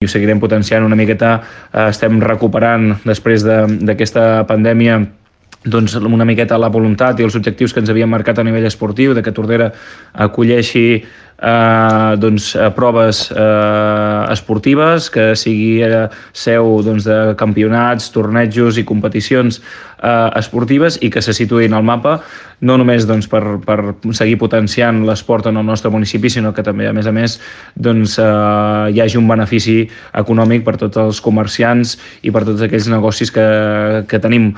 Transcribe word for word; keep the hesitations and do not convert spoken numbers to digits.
i ho seguirem potenciant una miqueta. Estem recuperant després d'aquesta pandèmia doncs una miqueta la voluntat i els objectius que ens havíem marcat a nivell esportiu, de que Tordera acolleixi eh, doncs, proves eh, esportives, que sigui eh, seu doncs, de campionats, tornejos i competicions eh, esportives i que se situïn al mapa, no només doncs, per, per seguir potenciant l'esport en el nostre municipi, sinó que també, a més a més, doncs, eh, hi hagi un benefici econòmic per tots els comerciants i per tots aquells negocis que, que tenim